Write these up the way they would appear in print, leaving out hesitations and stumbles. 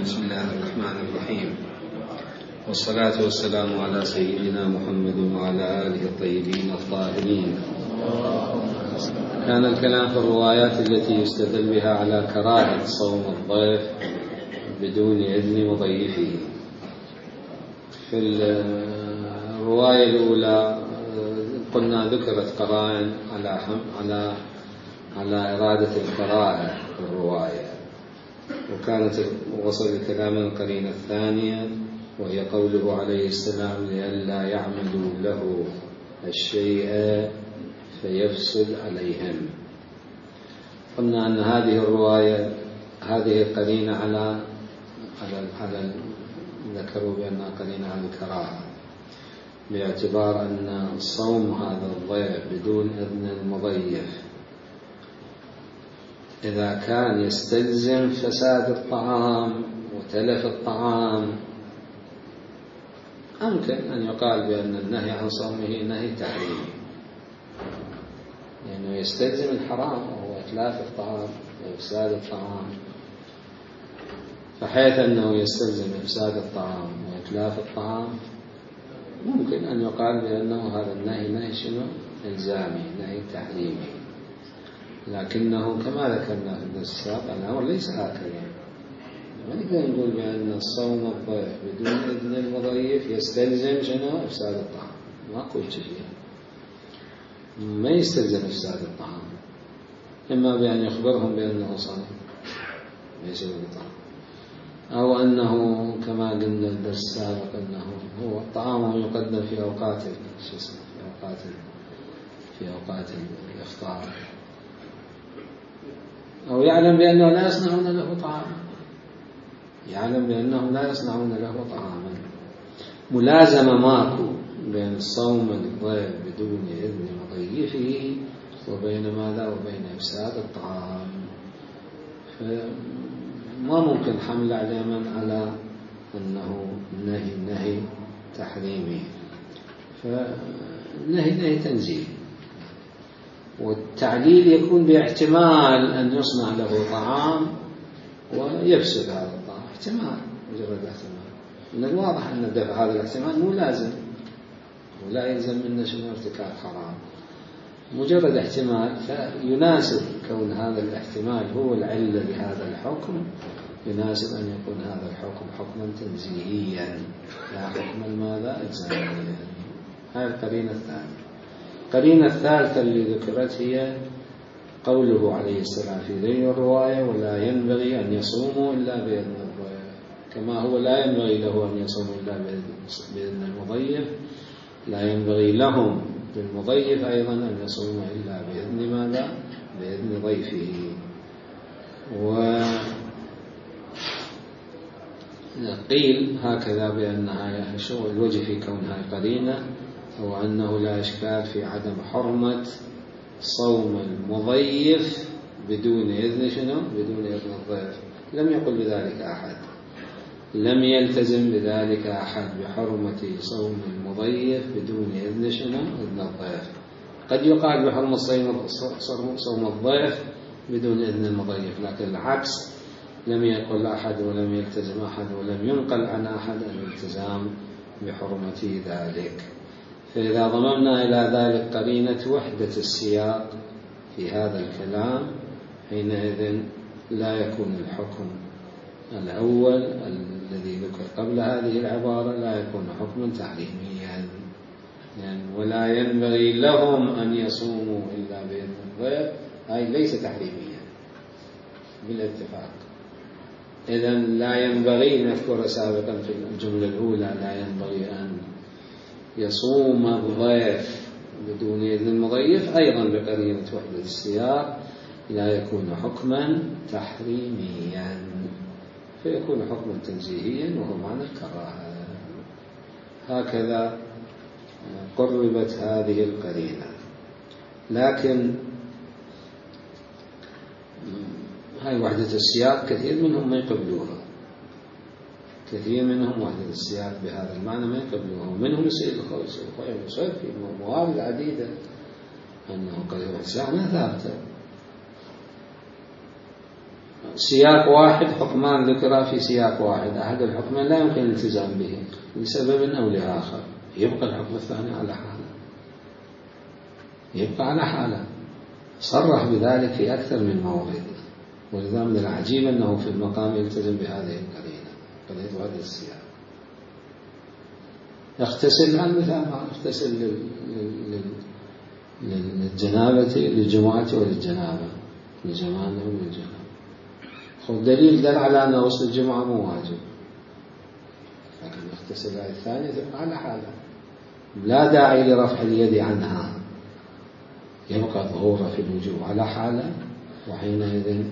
بسم الله الرحمن الرحيم، والصلاة والسلام على سيدنا محمد وعلى آله الطيبين الطاهرين. كان الكلام في الروايات التي يستدل بها على كراهة صوم الضيف بدون إذن مضيفه. في الرواية الأولى قلنا ذكرت قرائن على إرادة الكراهة في الرواية، وكانت وصل الكلام القرينة الثانية وهي قوله عليه السلام لئلا يعملوا له الشيء فيفسد عليهم. قلنا أن هذه الرواية هذه قرينة على ذكروا بأنها قرينة على الكراهة، باعتبار أن صوم هذا الضيف بدون إذن المضيف إذا كان يستلزم فساد الطعام وتلف الطعام أمكن أن يقال بأن النهي عن صومه نهي تحريمي، لأنه يستلزم الحرام وهو إتلاف الطعام وإفساد الطعام، فحيث أنه يستلزم إفساد الطعام وإتلاف الطعام ممكن أن يقال بأنه هذا النهي نهي شنو؟ إلزامي، نهي تحريمي. لكنه كما ذكرنا في الدرس السابق الأمر ليس هكذا، ما نقدر نقول بأن الصوم الضيف بدون إذن المضيف يستلزم شنو؟ إفساد الطعام، ماكو فيها، ما يستلزم إفساد الطعام، إما بأن يخبرهم بأنه صائم ليس بالطعام، أو أنه كما قلنا الدرس السابق أنه هو طعامه يقدم في أوقات في أوقات الإفطار، أو يعلم بأنه لا يصنعون له طعاما، يعلم بأنه لا يصنعون له طعاما. ملازمة ماكو بين الصوم الضيف بدون إذن مضيفه وبين ماذا؟ وبين إفساد الطعام، فما ممكن حمل على من على أنه نهي تحريمي، فنهي تنزيل، والتعليل يكون باحتمال أن يصنع له طعام ويفسد هذا الطعام، احتمال، مجرد احتمال. من الواضح أن دفع هذا الاحتمال مو لازم ولا يلزم منه شنو؟ ارتكاب حرام، مجرد احتمال، فيناسب كون هذا الاحتمال هو العلة لهذا الحكم، يناسب أن يكون هذا الحكم حكما تنزيهيا لا حكما ماذا؟ إلزاميا. هذه القرينة الثانية. القرينة الثالثة اللي ذكرت هي قوله عليه السلام في ذي الرواية ولا ينبغي أن يصوموا إلا بإذن الضيف، كما هو لا ينبغي له أن يصوموا إلا بإذن المضيف، لا ينبغي لهم للمضيف أيضا أن يصوموا إلا بإذن ماذا؟ بإذن ضيفه. وقيل هكذا بأنها الوجه في كونها قرينة هو أنه لا إشكال في عدم حرمة صوم المضيف بدون إذن شنو؟ بدون إذن الضيف. لم يقل بذلك أحد، لم يلتزم بذلك أحد بحرمة صوم المضيف بدون إذن شنو؟ إذن الضيف. قد يقال بحرمة صوم الضيف بدون إذن المضيف، لكن العكس لم يقل أحد ولم يلتزم أحد ولم ينقل عن أحد الالتزام بحرمة ذلك. فإذا ضممنا إلى ذلك قرينة وحدة السياق في هذا الكلام حينئذ لا يكون الحكم الأول الذي ذكر قبل هذه العبارة لا يكون حكما تحريميا، يعني ولا ينبغي لهم أن يصوموا إلا بإذن الضيف، أي ليس تحريميا بالاتفاق. إذن لا ينبغي، نذكر سابقا في الجملة الأولى لا ينبغي أن يصوم الضيف بدون إذن المضيف، أيضا بقرينة وحدة السياق لا يكون حكما تحريميا، فيكون حكما تنزيهيا وهو معنى الكراهة. هكذا قربت هذه القرينة. لكن هاي وحدة السياق كثير منهم ما يقبلوها، كثير منهم وحدة السياق بهذا المعنى ما يقبلوها، ومنهم يصير في موارد عديدة أنه قد السياق ما ثابتة، سياق واحد، حكمان ذكرا في سياق واحد، أحد الحكمين لا يمكن الالتزام به لسبب أو لآخر، يبقى الحكم الثاني على حاله، يبقى على حاله. صرح بذلك في أكثر من مورد، ولذا من العجيب أنه في المقام يلتزم بهذه القرينة، قرينة هذا السياق. يغتسل عن مثال ما يغتسل للجنابة، للجمعة وللجنابة، للجمانة وللجنابة. خذ دليل دل على أن غسل الجمعة مو واجب، لكن يغتسل هذه الثانية تبقى على حالها، لا داعي لرفع اليد عنها، يبقى ظهورها في الوجوب على حالة، وحينئذ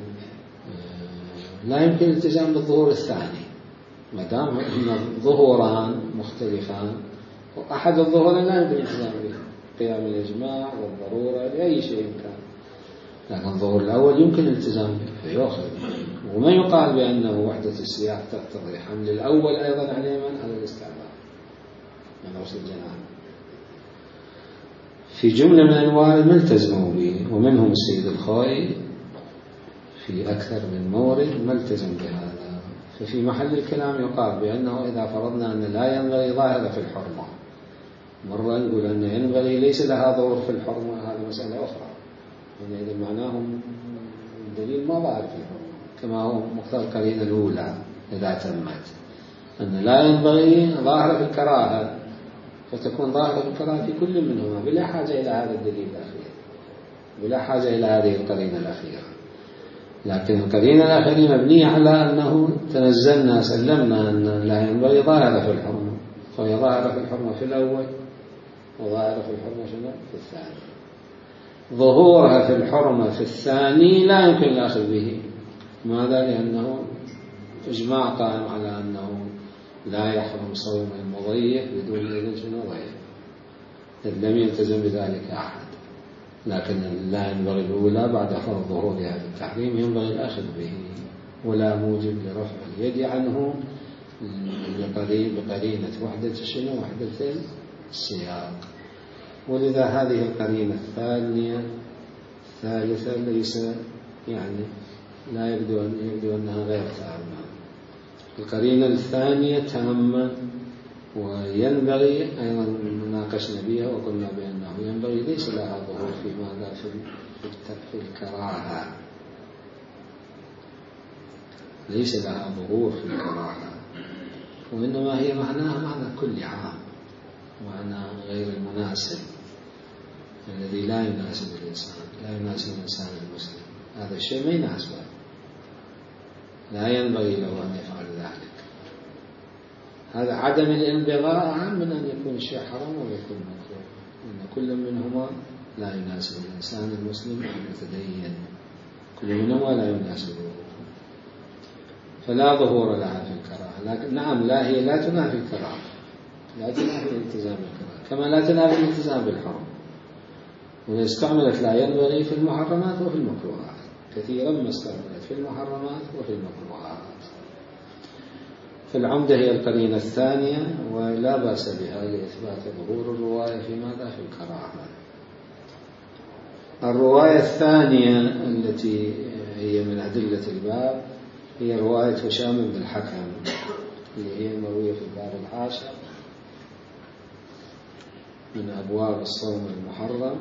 لا يمكن الالتزام بالظهور الثاني ما دام ان الظهوران مختلفان، واحد الظهورين لا يمكن الالتزام به، قيام الاجماع والضروره لاي شيء كان، لكن الظهور الاول يمكن الالتزام به فيؤخذ. وما يقال بانه وحده السياق تقتضي حمل الاول ايضا على من على الاستعمال من غسل الجنابه. في جمله من الموارد ما التزموا به، ومنهم السيد الخوئي في أكثر من مورد ما التزم بهذا. ففي محل الكلام يقال بأنه إذا فرضنا أن لا ينبغي ظاهرة في الحرمة، مرة نقول أن ينبغي ليس لها ظهور في الحرمة، هذه مسألة أخرى، يعني إذا معناه الدليل ما ظاهر في الحرمة كما هو مقتضى القرينة الأولى إذا تمت، أن لا ينبغي ظاهرة في الكراهة، فتكون ظاهرة في الكراهة في كل منهما بلا حاجة إلى هذا الدليل الأخير، بلا حاجة إلى هذه القرينة الأخيرة. لكن القرينة الأخيرة مبنية على أنه تنزلنا سلمنا أن لا ينبغي ظاهرة في الحرمة، فهي ظاهرة في الحرمة في الأول وظاهرة في الحرمة في الثاني. ظهورها في الحرمة في الثاني لا يمكن الأخذ به، ماذا؟ لأنه إجماع قائم على أنه لا يحرم صوم المضيف بدون إذن ضيف، إذ لم يلتزم بذلك أحد. لكن لا ينبغي الأولى بعد فرض ظهورها في التحريم ينبغي الأخذ به، ولا موجب لرفع اليد عنه بقرينة وحدة وحدة السياق. ولذا هذه القرينة الثالثة ليس يعني لا يبدو أنها غير تامة. القرينة الثانية تامة، وينبغي أيضا ناقشنا بها وقلنا بأنه ينبغي ليس لها ظهور في ماذا في الكراهة، ليس لها ظهور في الكراهة، وإنما هي معناها معنى كل عام، معنى غير المناسب الذي لا يناسب الإنسان، لا يناسب الإنسان المسلم، هذا الشيء ما يناسبه، لا ينبغي له أن يفعل ذلك. هذا عدم الانبغاء أهم من أن يكون الشيء حرام ويكون مكروه، إن كل منهما لا يناسب الإنسان المسلم المتدين، كل منهما لا يناسبه، فلا ظهور لها في الكراهة. لكن نعم لا هي لا تنافي الكراهة، لا تنافي الالتزام بالكراهة كما لا تنافي الالتزام بالحرم، وإذا استعملت لا ينبغي في المحرمات وفي المكروهات، كثيرا ما استعملت في المحرمات وفي المكروهات. فالعمدة هي القرينة الثانية، ولا بأس بها لإثبات ظهور الرواية في ماذا؟ في الكراهة. الرواية الثانية التي هي من أدلة الباب هي رواية هشام بن الحكم، اللي هي مروية في الباب العاشر من أبواب الصوم المحرم،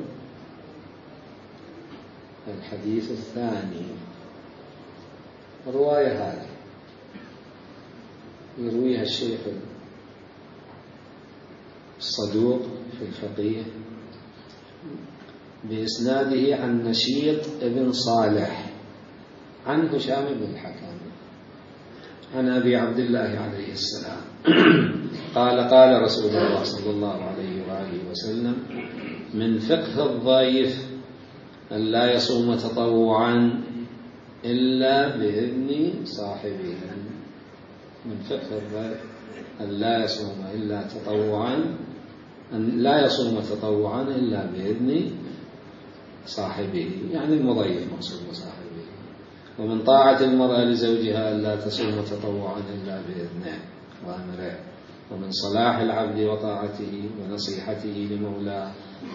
الحديث الثاني. الرواية هذه يرويها الشيخ الصدوق في الفقيه بإسناده عن نشيط ابن صالح عن هشام بن الحكم عن أبي عبد الله عليه السلام قال رسول الله صلى الله عليه وآله وسلم: من فقه الضيف أن لا يصوم تطوعا إلا بإذن صاحبه. من فقه الضيف أن لا يصوم إلا تطوعا، أن لا يصوم تطوعا إلا بإذن صاحبه، يعني المضيف مقصود صاحبه. ومن طاعة المرأة لزوجها أن لا تصوم تطوعا إلا بإذنه وأمره. ومن صلاح العبد وطاعته ونصيحته لمولاه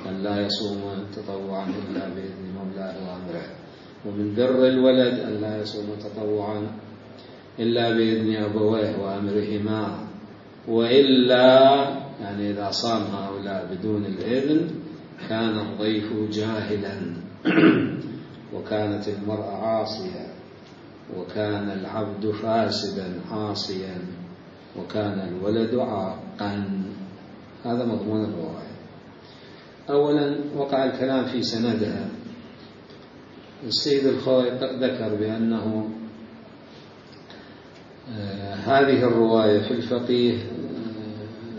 أن لا يصوم تطوعا إلا بإذن مولاه وأمره. ومن بر الولد ألا يصوم تطوعا إلا بإذن أبويه وأمرهما، وإلا يعني إذا صام هؤلاء بدون الإذن كان الضيف جاهلا وكانت المرأة عاصية وكان العبد فاسدا عاصيا وكان الولد عاقا. هذا مضمون الرواية. أولا وقع الكلام في سندها. السيد الخوئي ذكر بأنه هذه الرواية في الفقيه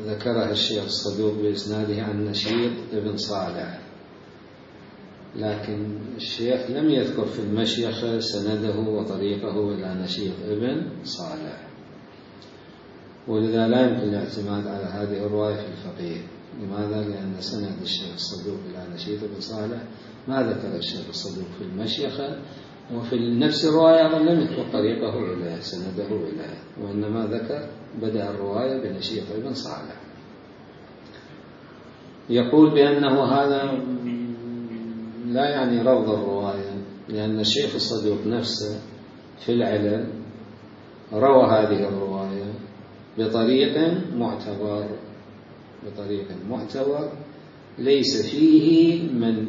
ذكرها الشيخ الصدوق بإسناده عن نشيط ابن صالح، لكن الشيخ لم يذكر في المشيخة سنده وطريقه إلى نشيط ابن صالح، ولذا لا يمكن الاعتماد على هذه الرواية في الفقيه. لماذا؟ لأن سند الشيخ الصدوق إلى نشيط ابن صالح ما ذكر الشيخ الصدوق في المشيخة، وفي نفس الرواية لم يذكر طريقه إليه سنده إليه، وإنما ذكر بدأ الرواية بنشيط ابن صالح. يقول بأنه هذا لا يعني رفض الرواية، لأن الشيخ الصدوق نفسه في العلل روى هذه الرواية بطريق معتبر ليس فيه من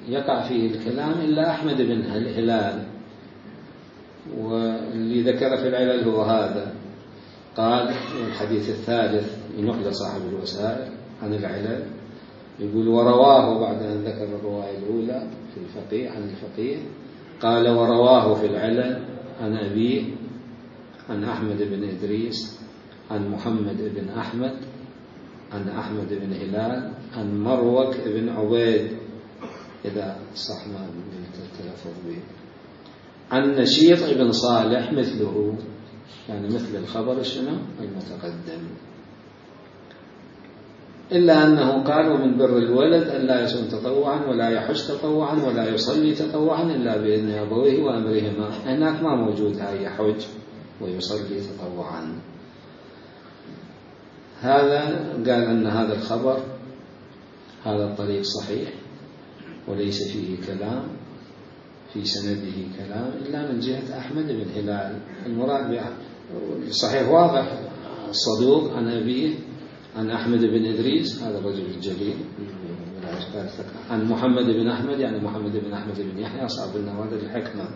يقع فيه الكلام إلا أحمد بن هلال، واللي ذكر في العلل هو هذا. قال الحديث الثالث ينقل صاحب الوسائل عن العلل، يقول ورواه بعد أن ذكر الرواية الأولى في الفقيه عن الفقيه، قال ورواه في العلل عن أبيه عن أحمد بن إدريس عن محمد بن أحمد عن أحمد بن هلال عن مروك بن عبيد، إذا صح ما التلفظ به، عن نشيط بن صالح مثله، يعني مثل الخبر شنو المتقدم، إلا أنه قال ومن بر الولد ألا يصوم تطوعا ولا يحج تطوعا ولا يصلي تطوعا إلا بإذن أبويه وأمرهما. هناك ما موجود هاي يحج ويصلي تطوعا. هذا قال أن هذا الخبر هذا الطريق صحيح وليس فيه كلام، في سنده كلام إلا من جهة أحمد بن هلال. المراد صحيح واضح، الصدوق عن أبيه عن أحمد بن إدريس هذا الرجل الجليل عن محمد بن أحمد يعني محمد بن أحمد بن يحيى صاحب النوادر الحكمة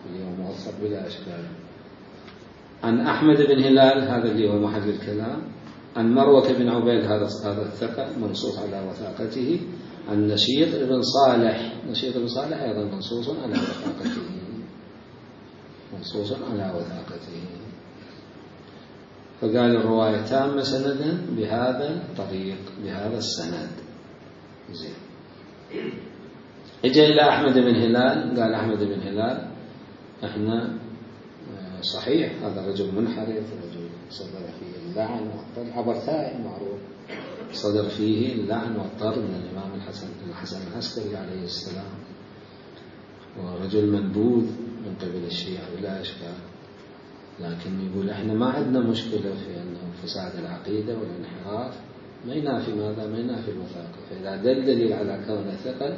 اليوم موثق بلا إشكال، عن أحمد بن هلال هذا اللي هو محل الكلام، عن مروة بن عبيد هذا الثقة منصوص على وثاقته، عن نشيط بن صالح، نشيط بن صالح أيضا منصوص على وثاقته، فقال الرواية تامة سندا بهذا الطريق بهذا السند. زين. اجى إلى أحمد بن هلال، قال أحمد بن هلال احنا صحيح هذا رجل منحرف، رجل صدر فيه اللعن والطرد، عبرتاء معروف، صدر فيه اللعن والطرد من الإمام الحسن العسكري عليه السلام، ورجل منبوذ من قبل الشيعة بلا إشكال، لكن يقول احنا ما عندنا مشكلة في أنه فساد العقيدة والانحراف ما ينافي ماذا؟ ما ينافي الوثاقة، فإذا دل دليل على كونه ثقل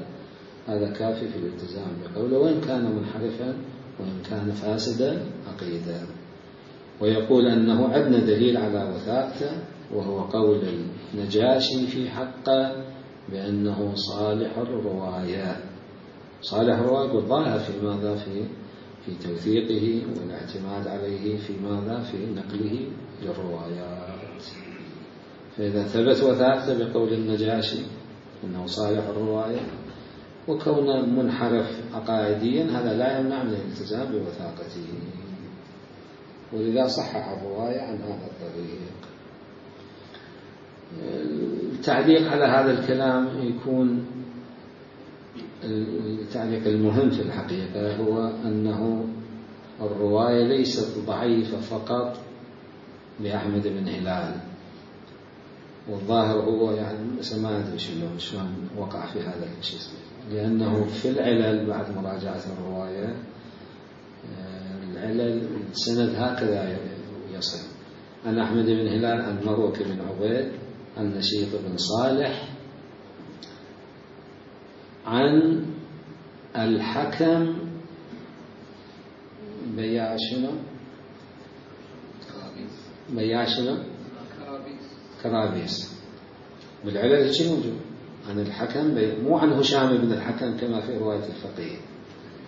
هذا كافي في الالتزام بقوله وإن كان منحرفا وإن كان فاسدا عقيدة. ويقول أنه عندنا دليل على وثاقته وهو قول النجاشي في حقه بأنه صالح الرواية. صالح الرواية والظاهر في ماذا؟ في توثيقه والاعتماد عليه في ماذا؟ في نقله للروايات. فإذا ثبت وثاقته بقول النجاشي أنه صالح الرواية وكونه منحرف عقائديا هذا لا يمنع من الالتزام بوثاقته، ولذا صحح الرواية عن هذا الطريق. التعليق على هذا الكلام يكون التعليق المهم في الحقيقة هو أنه الرواية ليست ضعيفة فقط لأحمد بن هلال، والظاهر هو يعني ما أدري شلون وقع في هذا الشيء، لأنه في العلل بعد مراجعة الرواية العلل السند هكذا يصل عن أحمد بن هلال عن مروك بن عبيد عن نشيط بن صالح عن الحكم بياع شنو؟ بياع شنو؟ كرابيس. بالعلل شيء موجود عن الحكم مو عن هشام بن الحكم كما في رواية الفقيه.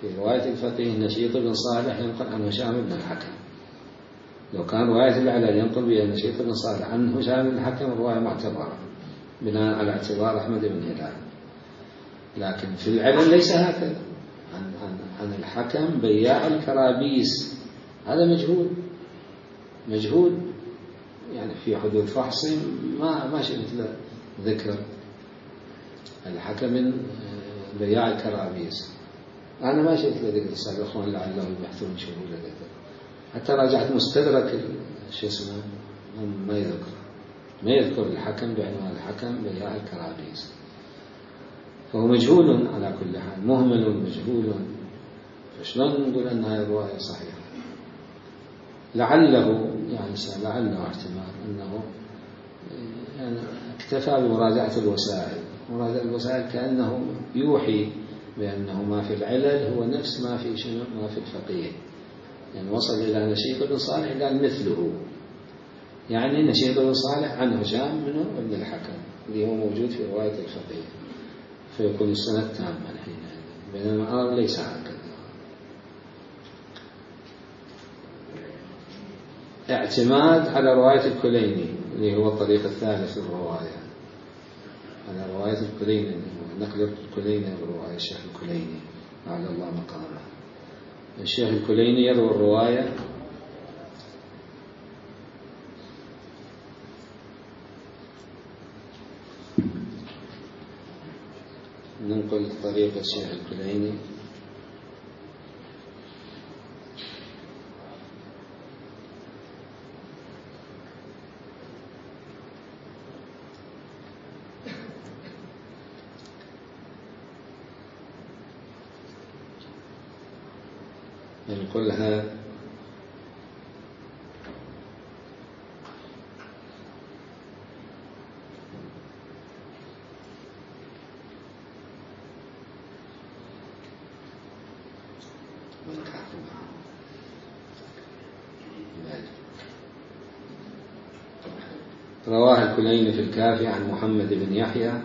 في رواية الفقيه نشيط بن صالح ينقل عن هشام بن الحكم. لو كان رواية العلل ينقل بها نشيط بن صالح عن هشام بن الحكم رواية معتبرة بناء على اعتبار أحمد بن هلال. لكن في العلل ليس هكذا. عن الحكم بياع الكرابيس، هذا مجهول يعني في حدود فحص ما شفت له ذكر الحكم بياع الكرابيس. أنا ما شفت له ذكر. السابقون لعلهم يبحثون شو له ذكر. حتى راجعت مستدرك شو اسمه ما يذكر الحكم بعنوان الحكم بياع الكرابيس. فهو مجهول على كل حال، مهمل مجهول. فشلون نقول أن هذه الرواية صحيحة؟ لعله احتمال أنه يعني اكتفى بمراجعة الوسائل. مراجعة الوسائل كأنه يوحي بأنه ما في العلل هو نفس ما في الفقيه. يعني وصل إلى نشيط بن صالح قال مثله، يعني نشيط بن صالح عن هشام منه ابن الحكم اللي هو موجود في رواية الفقيه، فيكون السند تاما حينئذ. بينما الأمر ليس هكذا. اعتماد على رواية الكليني اللي هو الطريق الثالث للرواية، على رواية الكليني، نقل الكليني برواية الشيخ الكليني أعلى الله مقامه. الشيخ الكليني يروي الرواية ننقل طريق الشيخ الكليني. ننقلها رواه الكليني في الكافي عن محمد بن يحيى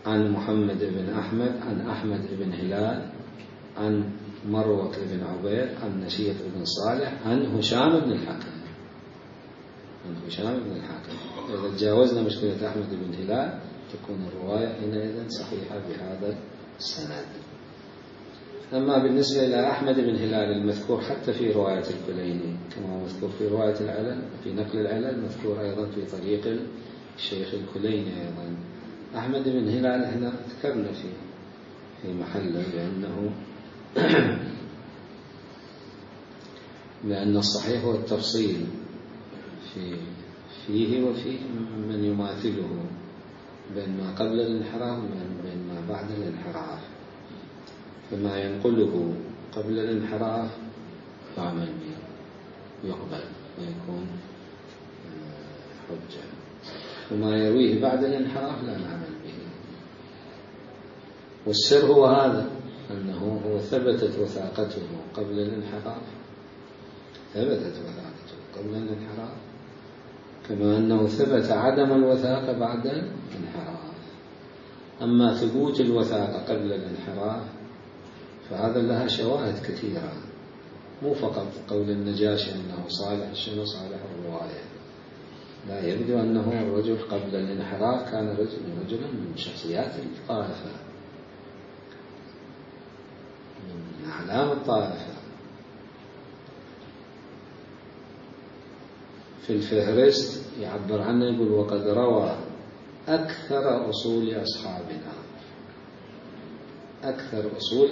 عن محمد بن أحمد عن أحمد بن هلال عن مروة بن عبيد عن نشيط بن صالح عن هشام بن الحكم. إذا تجاوزنا مشكلة أحمد بن هلال تكون الرواية حينئذ صحيحة بهذا السند. أما بالنسبة إلى أحمد بن هلال المذكور حتى في رواية الكليني كما هو مذكور في رواية العلل، في نقل العلل مذكور أيضا في طريق الشيخ الكليني أيضا. أحمد بن هلال احنا ذكرنا في محله لأن الصحيح هو التفصيل فيه وفي من يماثله بين ما قبل الانحراف وبين ما بعد الانحراف. فما ينقله قبل الانحراف يعمل به يقبل ويكون حجة، وما يرويه بعد الانحراف لا نعمل به. والسر هو هذا، أنه هو ثبتت وثاقته قبل الانحراف، كما أنه ثبت عدم الوثاقة بعد الانحراف. أما ثبوت الوثاقة قبل الانحراف فهذا لها شواهد كثيرة، مو فقط قول النجاشي أنه صالح الرواية. لا، يبدو أنه الرجل قبل الانحراف كان رجلا من شخصيات الطائفة، من أعلام الطائفة. في الفهرست يعبر عنه يقول وقد روى أكثر أصول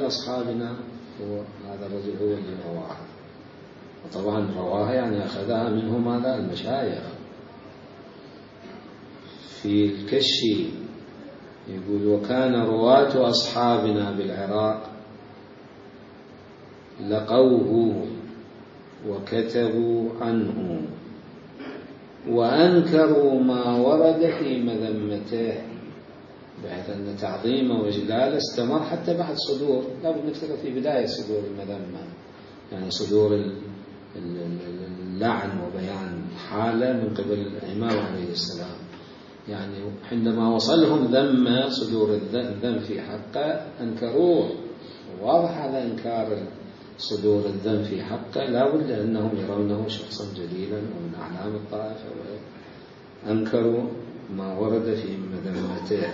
أصحابنا هو هذا الرجل هو اللي رواها. وطبعا رواها يعني أخذها منه ماذا؟ المشايخ. في الكشي يقول وكان رواة أصحابنا بالعراق لقوه وكتبوا عنه وأنكروا ما ورد في مذمته، بحيث أن تعظيمه وإجلاله استمر حتى بعد صدور، لا بد نفتكر في بداية صدور المذمة، يعني صدور اللعن وبيان حالة من قبل الإمام عليه السلام. يعني عندما وصلهم ذم صدور الذم في حقه أنكروه، واضح هذا إنكار صدور الذم في حقه لا بد أنهم يرونه شخصا جليلا ومن أعلام الطائفة، وأنكروا ما ورد في مذمته.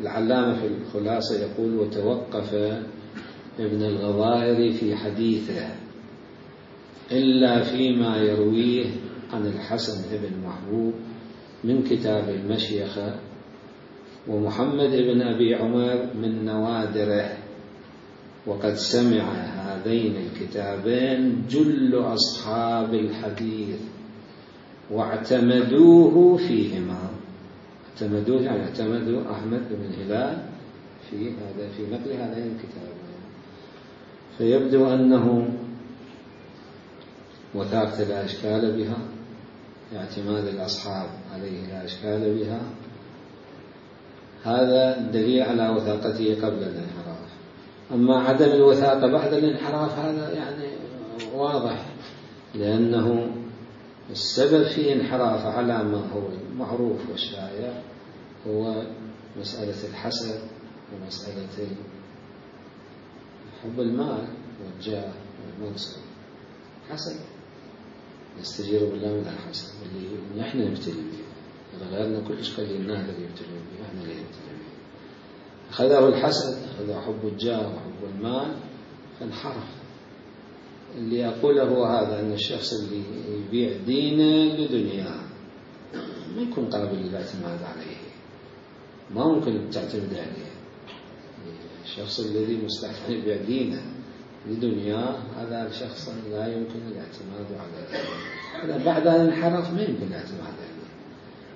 العلامة في الخلاصة يقول: وتوقف ابن الغضائر في حديثه إلا فيما يرويه عن الحسن بن محبوب من كتاب المشيخة ومحمد بن أبي عمر من نوادره، وقد سمع هذين الكتابين جل أصحاب الحديث واعتمدوه فيهما. اعتمدوه يعني اعتمدوا أحمد بن هلال في نقل هذين الكتابين. فيبدو أنه وثاقة لا إشكال بها، اعتماد الأصحاب عليه لا إشكال بها، هذا دليل على وثاقته قبل الانحراف. أما عدم الوثاقة بعد الانحراف هذا يعني واضح، لأنه السبب في انحراف على ما هو المعروف والشائع هو مسألة الحسد ومسألة حب المال والجاه والمنصب. حسد نستجير بالله من الحسد اللي نحن نبتلي به، غيرنا كلش قليلنا الذي يبتلي به، احنا اللي نبتلي به. أخذه الحسد، أخذه حب الجاه وحب المال فانحرف. اللي أقوله هذا أن الشخص اللي يبيع دينه لدنياه ما يكون قابل للاعتماد عليه، ما ممكن تعتمد عليه. الشخص الذي مستحيل يبيع دينه لدنياه هذا الشخص لا يمكن الاعتماد عليه. إذا بعد الانحراف ما يمكن الاعتماد عليه،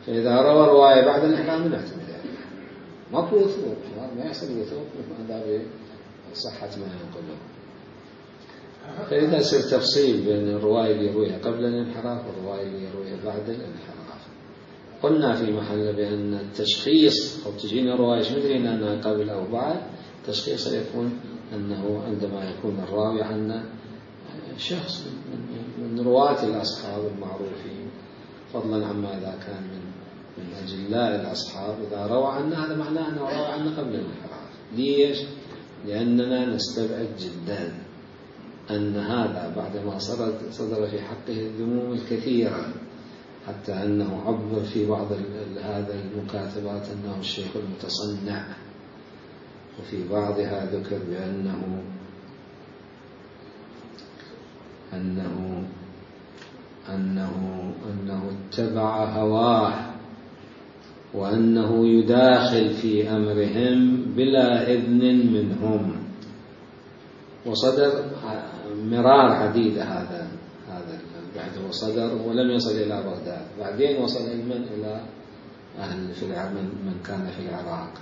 فإذا روى رواية بعد الانحراف ما نعتمد عليه، ماكو وثوق، ما يحصل وثوق من صحة ما ينقله. فإذا صار تفصيل بين الرواية اللي يرويها قبل الانحراف والرواية اللي يرويها بعد الانحراف. قلنا في محل بأن التشخيص أو تجينا رواية مدرين أنها قبل أو بعد، تشخيص يكون أنه عندما يكون الراوي عنا شخص من رواة الأصحاب المعروفين، فضلا عما إذا كان من أجلاء الأصحاب، إذا روى عنا هذا معناه أنه روى عنا قبل الانحراف. ليش؟ لأننا نستبعد جدا أن هذا بعدما صدر في حقه الذموم الكثيرة، حتى أنه عبر في بعض هذا المكاتبات أنه الشيخ المتصنع، وفي بعضها ذكر بأنه اتبع هواه، وأنه يداخل في أمرهم بلا إذن منهم. وصدر مرار عديدة هذا بعد وصدر ولم يصل إلى بغداد، بعدين وصل إلى أهل في من كان في العراق.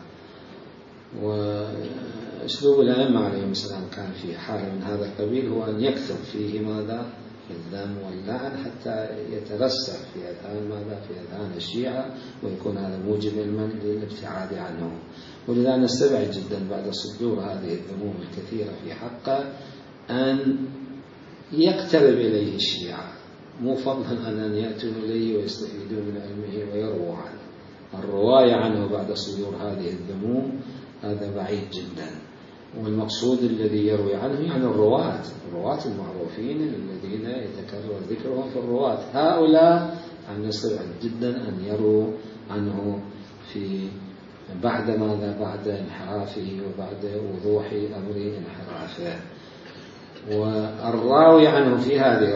وأسلوب الأئمة عليهم السلام كان في حالة من هذا القبيل هو أن يكتب فيه ماذا؟ الذم واللعن، حتى يترسخ في أذهان الشيعة، ويكون هذا موجب للابتعاد عنه. ولذا نستبعد جدا بعد صدور هذه الذموم الكثيرة في حقه أن يقترب إليه الشيعة، مو فضلا أن يأتوا إليه ويستفيدوا من علمه ويرووا عنه. الرواية عنه بعد صدور هذه الذموم هذا بعيد جدا. والمقصود الذي يروي عنه يعني الرواة المعروفين الذين يتكرر ذكرهم في الرواة، هؤلاء أن يستبعد جدا أن يروا عنه في بعد انحرافه وبعد وضوح أمر انحرافه. والراوي عنه في هذه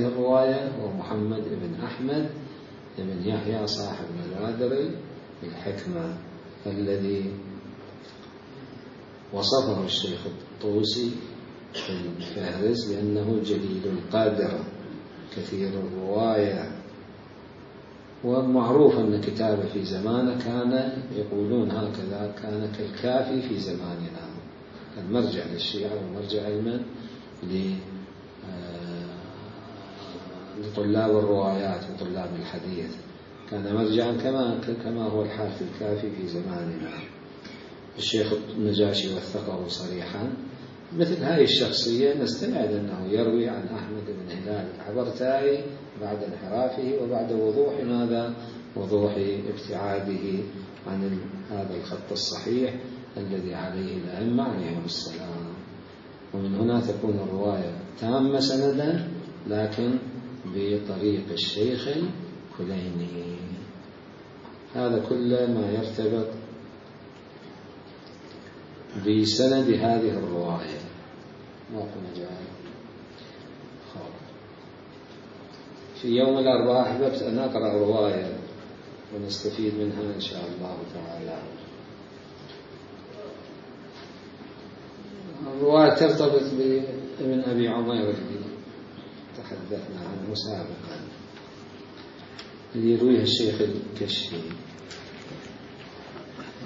الرواية هو محمد بن أحمد بن يحيى صاحب نوادر الحكمة، الذي وصفه الشيخ الطوسي في الفهرس بأنه جليل القدر كثير الرواية. ومعروف أن كتابه في زمانه كان يقولون هكذا، كان كالكافي في زماننا، كان مرجع للشيعة ومرجع علما لطلاب الروايات وطلاب الحديث، كان مرجعا كما هو الحال في الكافي في زماننا. الشيخ النجاشي وثقه صريحا مثل هذه الشخصية نستبعد أنه يروي عن أحمد بن هلال العبرتائي بعد انحرافه وبعد وضوح ماذا؟ وضوح ابتعاده عن هذا الخط الصحيح الذي عليه الأئمة عليهم السلام. ومن هنا تكون الرواية تامة سندا لكن بطريق الشيخ الكليني. هذا كل ما يرتبط بسند هذه الرواية. ما في مجال في يوم الأربعاء أحببت أن أقرأ رواية ونستفيد منها إن شاء الله تعالى. الرواية ترتبط بابن أبي عمير الذي تحدثنا عنه سابقا، اللي يرويها الشيخ الكشفي.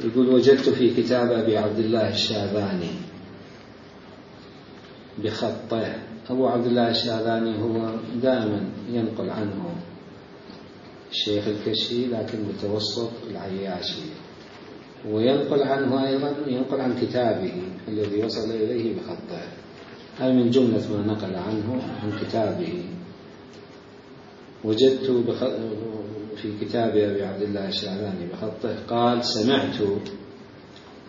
يقول: وجدت في كتاب أبي عبد الله الشاذاني بخطه. أبو عبد الله الشاذاني هو دائما ينقل عنه الشيخ الكشفي لكن بتوسط العياشي، وينقل عنه أيضا ينقل عن كتابه الذي وصل إليه بخطه. هذا من جملة ما نقل عنه عن كتابه. وجدت في كتاب أبي عبد الله الشاذاني بخطه قال: سمعت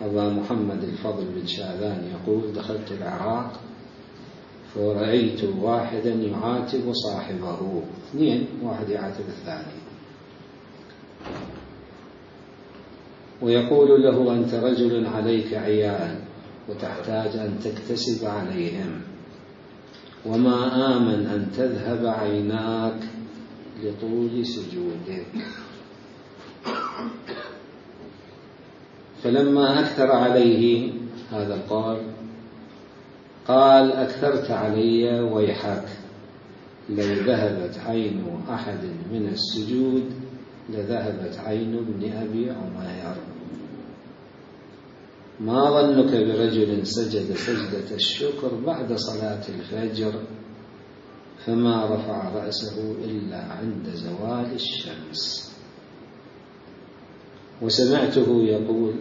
أبا محمد الفضل بن شاذان يقول: دخلت العراق فرأيت واحدا يعاتب صاحبه، اثنين، واحد يعاتب الثاني، ويقول له: أنت رجل عليك عيال وتحتاج أن تكتسب عليهم، وما آمن أن تذهب عيناك لطول سجودك. فلما أكثر عليه هذا القول قال: أكثرت علي ويحك، لو ذهبت عين أحد من السجود لذهبت عين ابن أبي عمير. ما ظنك برجل سجد سجدة الشكر بعد صلاة الفجر فما رفع رأسه إلا عند زوال الشمس. وسمعته يقول،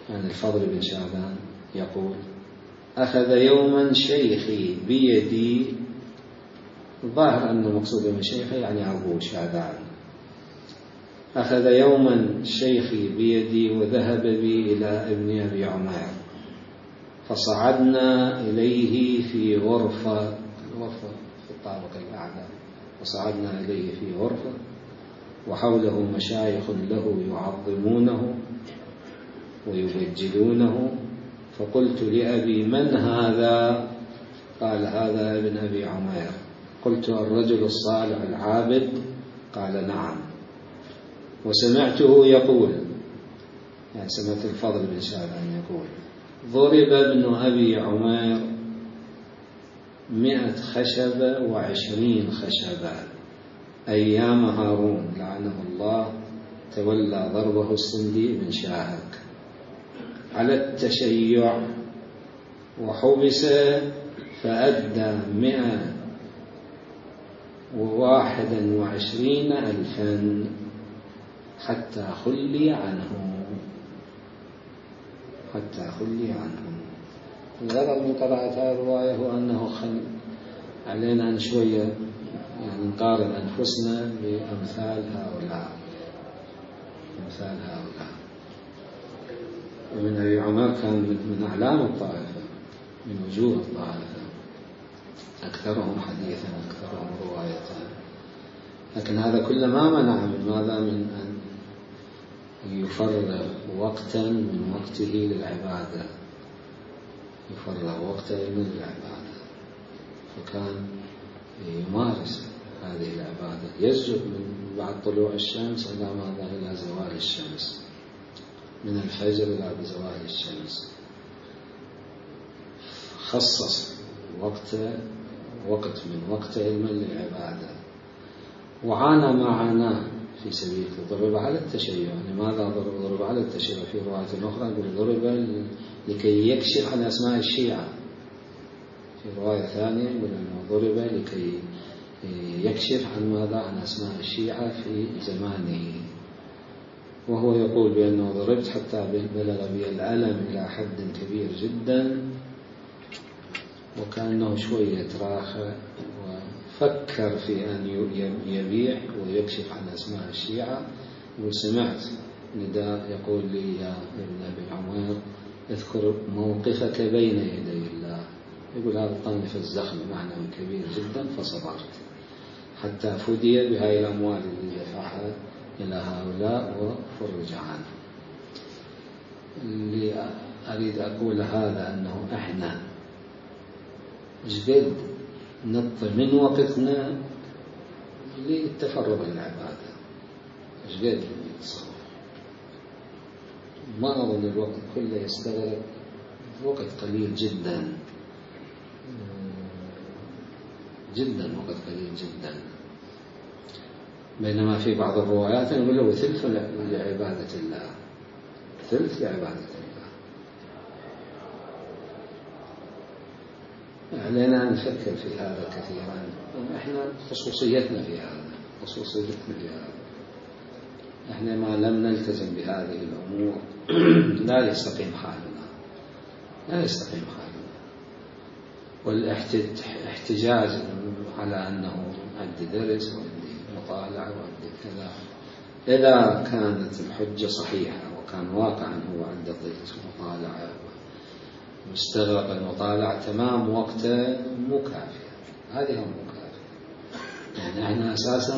يعني الفضل بن شاذان يقول: أخذ يوما شيخي بيدي، ظاهر أن مقصود من شيخي يعني أبو شاذان. أخذ يوما شيخي بيدي وذهب بي إلى ابن أبي عمير، فصعدنا إليه في غرفة في الطابق الأعلى، فصعدنا إليه في غرفة وحوله مشايخ له يعظمونه ويبجلونه. فقلت لأبي: من هذا؟ قال: هذا ابن أبي عمير. قلت: الرجل الصالح العابد؟ قال: نعم. وسمعته يقول، يعني سمعت الفضل بن شاذان يقول: ضرب ابن أبي عمير 100 خشبة و20 خشبة أيام هارون لعنه الله، تولى ضربه السندي بن شاهك على التشيع، وحبس فأدى 121,000 حتى خلي عنه. الغرض من قراءة هذه الرواية هو أنه علينا أن شوية يعني نقارن أنفسنا بأمثال هؤلاء. ومن أبي عمر كان من أعلام الطائفة، من وجوه الطائفة، أكثرهم حديثا، أكثرهم رواية. لكن هذا كل ما منع من ماذا؟ من أن يفرغ وقتا من وقته للعبادة، للعبادة، فكان يمارس هذه العبادة، يسجد من بعد طلوع الشمس إلى ماذا؟ إلى زوال الشمس، من الفجر إلى زوال الشمس. خصص وقت من وقت علم للعبادة، وعانى ما عاناه في سبيل ضرب على التشيع. لماذا ضرب على التشيع؟ في رواية أخرى ضرب لكي يكشف عن أسماء الشيعة، في رواية ثانية يقول أنه ضرب لكي يكشف عن ماذا؟ عن أسماء الشيعة في زمانه. وهو يقول بأنه ضربت حتى بلغ بي الألم إلى حد كبير جدا، وكأنه شوية تراخى وفكر في أن يبيع ويكشف عن أسماء الشيعة. وسمعت نداء يقول لي يا ابن أبي عمير اذكر موقفك بين يدي الله. يقول هذا الطائف الزخم معنى كبير جدا، فصبرت حتى فدي بهاي الأموال اللي دفعها إلى هؤلاء وفرج عنه. اللي أريد أقول هذا أنه إحنا جد نطي من وقتنا للتفرغ للعبادة، جد نتصرف. ما أظن الوقت كله يستغرق، وقت قليل جدا جدا، وقت قليل جدا. بينما في بعض الروايات يقول له ثلث لعبادة الله، ثلث لعبادة الله. علينا أن نفكر في هذا كثيرا. إحنا خصوصيتنا في هذا، إحنا ما لم نلتزم بهذه الأمور لا يستقيم حالنا، والاحتجاج على أنه عندي درس وعندي مطالعة وعندي كذا، إذا كانت الحجة صحيحة وكان واقعا هو عنده درس ومطالعة مستغرق المطالعة تمام وقته، مو كافية، هذه هم مو كافية. يعني احنا أساسا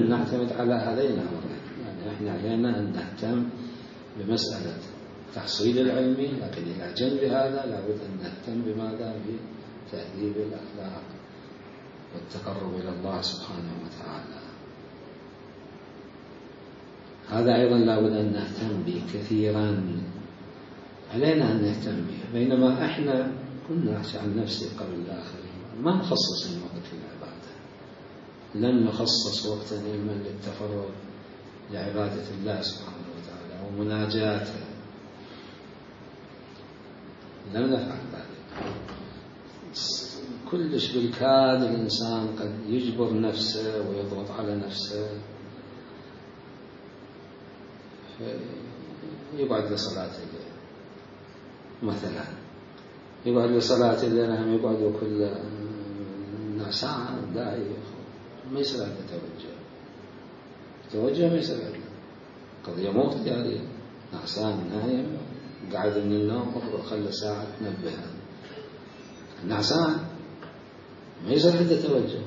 نعتمد على هذين الأمرين. يعني احنا علينا أن نهتم بمسألة تحصيل العلمي، لكن إلى جنب هذا لابد أن نهتم بماذا؟ بتهذيب الأخلاق والتقرب إلى الله سبحانه وتعالى. هذا أيضا لابد أن نهتم به كثيرا، علينا أن نهتم به. بينما إحنا كنا أحكي عن نفسي قبل الآخرين، ما نخصص وقت للعبادة، لن نخصص وقتا إلا للتفرغ لعبادة الله سبحانه وتعالى ومناجاته، لم نفعل ذلك. كلش بالكاد الإنسان قد يجبر نفسه ويضغط على نفسه، يقعد لصلاة الليل مثلا، يقعد لصلاة الليل، هم يقعدوا كل ساعة داعي، ما يصير عنده توجه ما يصير عنده قضية مو اختيارية. نعسان نايم قاعد من النوم خلى ساعة تنبه، نعسان ما يصير عنده توجه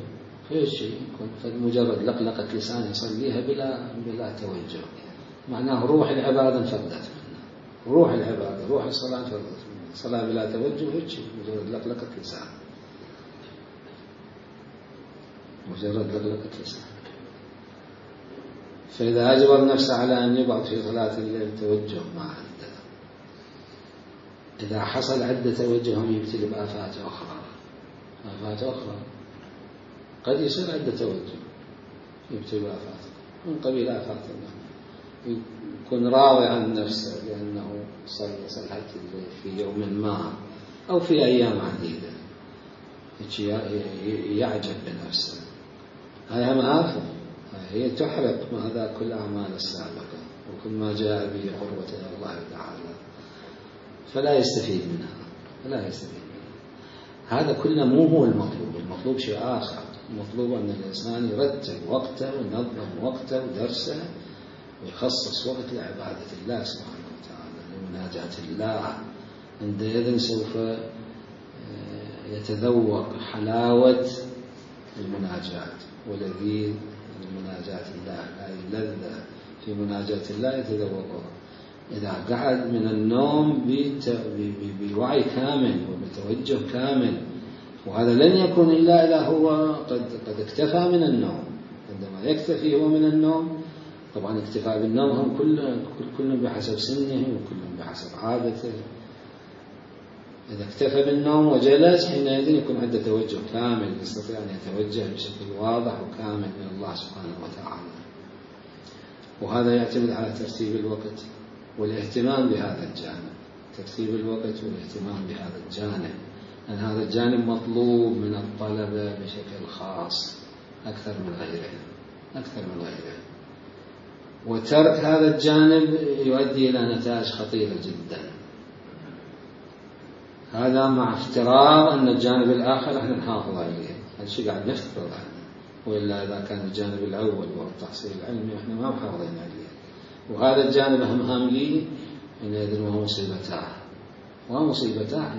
في شيء، يكون مجرد لقلقة لسان يصليها بلا توجه، معناه روح العبادة انفردت منه، روح العبادة روح الصلاة انفردت منه. صلاة بلا توجه هيك مجرد لقلقة لسان، مجرد لقلقة لسان. فإذا أجبر نفسه على أن يقعد في صلاة الليل توجه ما عنده، إذا حصل عنده توجه هم يبتلي بآفات أخرى، قد يصير عنده توجه يبتلي بآفات من قبيل آفات الله، يكون راضي عن نفسه لأنه صلى صلاة الليل في يوم ما أو في أيام عديدة، يعجب بنفسه. هذه مآفة، هي تحرق ماذا كل أعمال السابقة وكل ما جاء به قربة إلى الله تعالى، فلا يستفيد منها. هذا كله مو هو المطلوب شيء آخر. المطلوب أن الإنسان يرتب وقته وينظم وقته ودرسه ويخصص وقت لعبادة الله سبحانه وتعالى، لمناجاة الله. عندئذ سوف يتذوق حلاوة المناجاة ولذيذ مناجاة الله، هذه اللذة في مناجاة الله يتذوقها. إذا قعد من النوم بوعي كامل وبتوجه كامل، وهذا لن يكون إلا إذا هو قد اكتفى من النوم. عندما يكتفي هو من النوم، طبعا اكتفاء بالنوم هم كل بحسب سنه وكل بحسب عادته. إذا اكتفى بالنوم وجلس حينئذ يكون عنده توجه كامل، يستطيع أن يتوجه بشكل واضح وكامل من الله سبحانه وتعالى. وهذا يعتمد على ترتيب الوقت والاهتمام بهذا الجانب، ترتيب الوقت والاهتمام بهذا الجانب، لأن هذا الجانب مطلوب من الطلبة بشكل خاص أكثر من غيرهم. وترك هذا الجانب يؤدي إلى نتائج خطيرة جدا. هذا مع افتراض أن الجانب الآخر احنا نحافظ عليه، هذا الشيء قاعد نفترض عنه، وإلا إذا كان الجانب الأول وهو التحصيل العلمي احنا ما محافظين عليه، وهذا الجانب أهم لي حينئذ وهو مصيبتاه،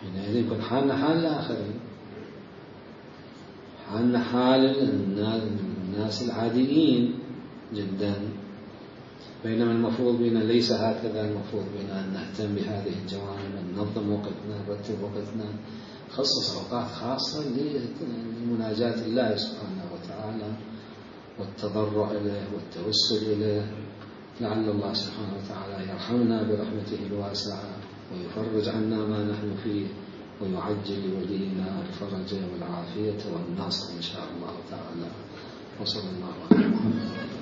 حينئذ يكون حالنا حال الآخرين، حالنا حال الناس العاديين جدا. بينما المفروض بنا ليس هكذا، المفروض بنا أن نهتم بهذه الجوانب، أن ننظم وقتنا، نرتب وقتنا، نخصص أوقات خاصة لمناجاة الله سبحانه وتعالى والتضرع إليه والتوسل إليه، لعل الله سبحانه وتعالى يرحمنا برحمته الواسعة ويفرج عنا ما نحن فيه ويعجل لولينا الفرج والعافية والنصر إن شاء الله تعالى. وصلى الله عليه وسلم.